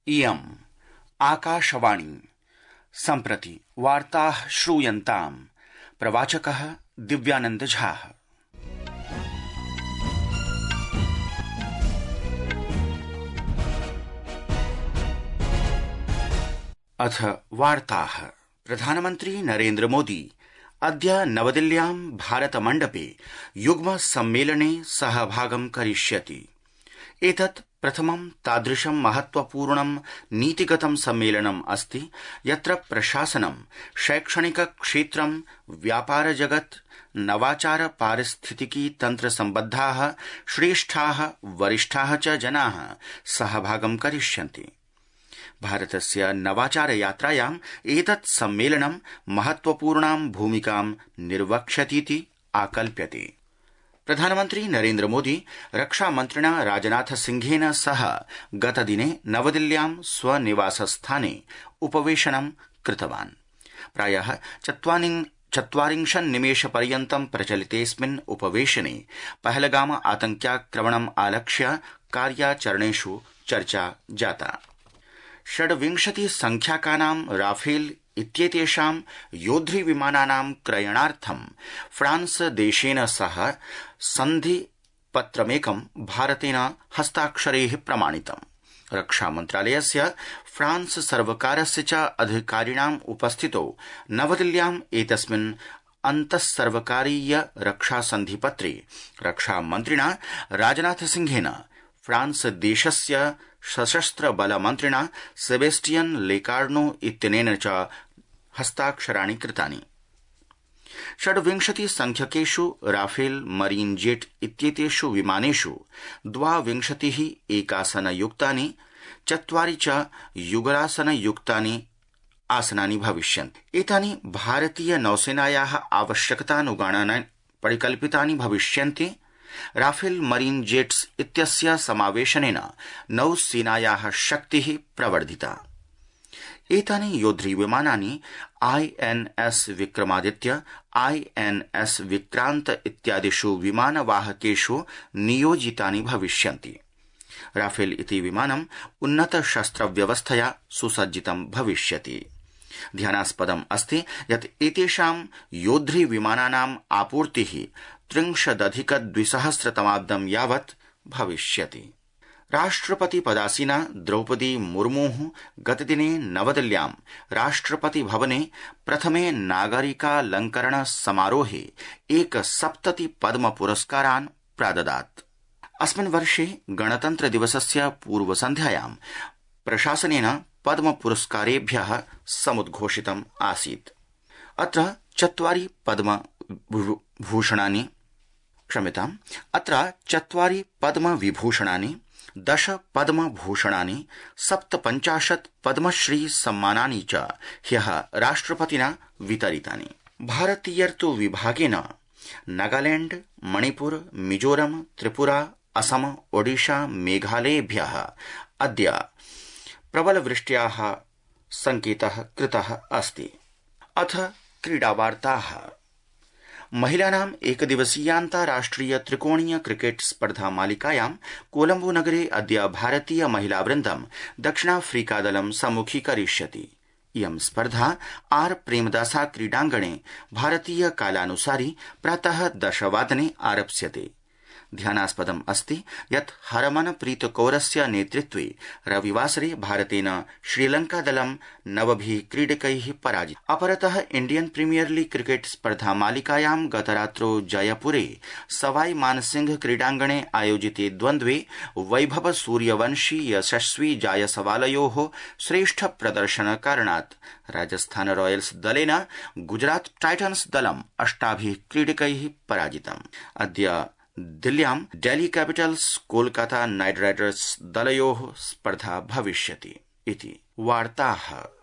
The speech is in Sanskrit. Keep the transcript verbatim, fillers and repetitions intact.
इयम् आकाशवाणी सम्प्रति वार्ताः श्रूयन्ताम्। प्रवाचकः दिव्यानंद झा। अथ वार्ताः। प्रधानमन्त्री नरेन्द्र मोदी अद्य नवदिल्ल्यां भारतमण्डपे युग्म सम्मेलने सहभागं करिष्यति। एतत् प्रथमं तादृशं महत्वपूर्णं नीतिगतं सम्मेलनम् अस्ति यत्र प्रशासनं, शैक्षणिक क्षेत्रं, व्यापार जगत्, नवाचार, पारिस्थितिकी तन्त्र सम्बद्धाः श्रेष्ठाः वरिष्ठाः च जनाः सहभागं करिष्यन्ति। भारतस्य नवाचार यात्रायाम् एतत् सम्मेलनं महत्वपूर्णां भूमिकां निर्वक्ष्यतीति आकल्प्यते। प्रधानमन्त्री नरेन्द्र मोदी रक्षामन्त्रिणा राजनाथ सिंहेन सह गतदिने नवदिल्ल्यां स्वनिवासस्थाने उपवेशनं कृतवान्। प्रायः चत्वारिंशन्निमेषपर्यन्तं प्रचलितेऽस्मिन् उपवेशने पहलगाम आतङ्क्याक्रमणम् आलक्ष्य कार्याचरणेषु चर्चा जाता। षड्विंशति संख्याकानां राफेल इत्येतेषां योद्धृ विमानानां क्रयणार्थं फ्रांस देशेन सह सन्धिपत्रमेकं भारतेन हस्ताक्षरैः प्रमाणितम्। रक्षामन्त्रालयस्य फ्रांस सर्वकारस्य च अधिकारिणाम् उपस्थितौ नवदिल्ल्याम् एतस्मिन् अन्तःसर्वकारीय रक्षासन्धिपत्रे रक्षामन्त्रिणा राजनाथ सिंहेन फ्रांस देशस्य सशस्त्र बल मन्त्रिणा सेबेस्टियन लेकार्नो इत्यनेन च हस्ताक्षराणि कृतानि। षड्विंशति संख्यकेषु राफेल मरीन जेट इत्येतेषु विमानेषु द्वाविंशतिः एकासनयुक्तानि, चत्वारि च युगलासनयुक्तानि आसनानि भविष्यन्ति। एतानि भारतीय नौसेनायाः आवश्यकतानुगुणानि परिकल्पितानि भविष्यन्ति। राफेल मरीन जेट्स इत्यस्य समावेशनेन नौसेनायाः शक्तिः प्रवर्धिता। एतानि योद्धृ विमानानि आईएनएस विक्रमादित्य, आईएनएस विक्रांत इत्यादिषु विमानवाहकेषु नियोजितानि भविष्यन्ति। राफेल इति विमानम् उन्नत शस्त्रव्यवस्थया सुसज्जितं भविष्यति। ध्यानास्पदम् अस्ति यत् एतेषां योद्धृ विमानानाम् आपूर्तिः त्रिंशदधिक द्विसहस्रतमाब्दं यावत् भविष्यति। राष्ट्रपति पदासीना द्रौपदी मुर्मुः गतदिने नवदिल्ल्यां राष्ट्रपति भवने प्रथमे नागरिकालंकरण समारोहे एकसप्तति पद्म पुरस्कारान् प्राददात्। अस्मिन् वर्षे गणतन्त्र दिवसस्य पूर्वसन्ध्यायां प्रशासनेन पद्म पुरस्कारेभ्यः समुद्घोषितम् आसीत्। अत्र चत्वारि पद्म भूषणानि क्षम्यताम् अत्र चत्वारि पद्म विभूषणानि, दश पद्म भूषणानि, सप्तपञ्चाशत् पद्मश्री सम्मानानि च ह्यः राष्ट्रपतिना वितरितानि। भारतीयर्तु विभागेन नागालैंड, मणिपुर, मिजोरम, त्रिपुरा, असम, ओडिशा, मेघालयेभ्यः अद्य प्रबलवृष्ट्याः संकेतः कृतः अस्ति। अथ क्रीडावार्ताः। महिलानाम् एकदिवसीयान्ताराष्ट्रिय त्रिकोणीय क्रिकेट स्पर्धा मालिकायां कोलम्बो नगरे अद्य भारतीय महिलावृन्दं दक्षिणाफ्रीकादलं सम्मुखीकरिष्यति। इयं स्पर्धा आर प्रेमदासा क्रीडाङ्गणे भारतीय कालानुसारि प्रातः दशवादने आरप्स्यते। ध्यानास्पदम् अस्ति यत् हरमनप्रीत कौरस्य नेतृत्वे रविवासरे भारतेन श्रीलंकादलं नवभिः क्रीडकैः पराजितम्। अपरतः इण्डियन प्रीमियर लीग क्रिकेट स्पर्धा मालिकायां गतरात्रौ जयपुरे सवाई मानसिंह क्रीडाङ्गणे आयोजिते द्वन्द्वे वैभव सूर्यवंशी यशस्वी जायसवालयोः श्रेष्ठ प्रदर्शन कारणात् राजस्थान रॉयल्स दलेन गुजरात टाइटन्स दलम् अष्टाभिः क्रीडकैः पराजितम्। अद्य दिल्ल्यां Delhi capitals Kolkata knight riders दलयोः स्पर्धा भविष्यति इति वार्ताः।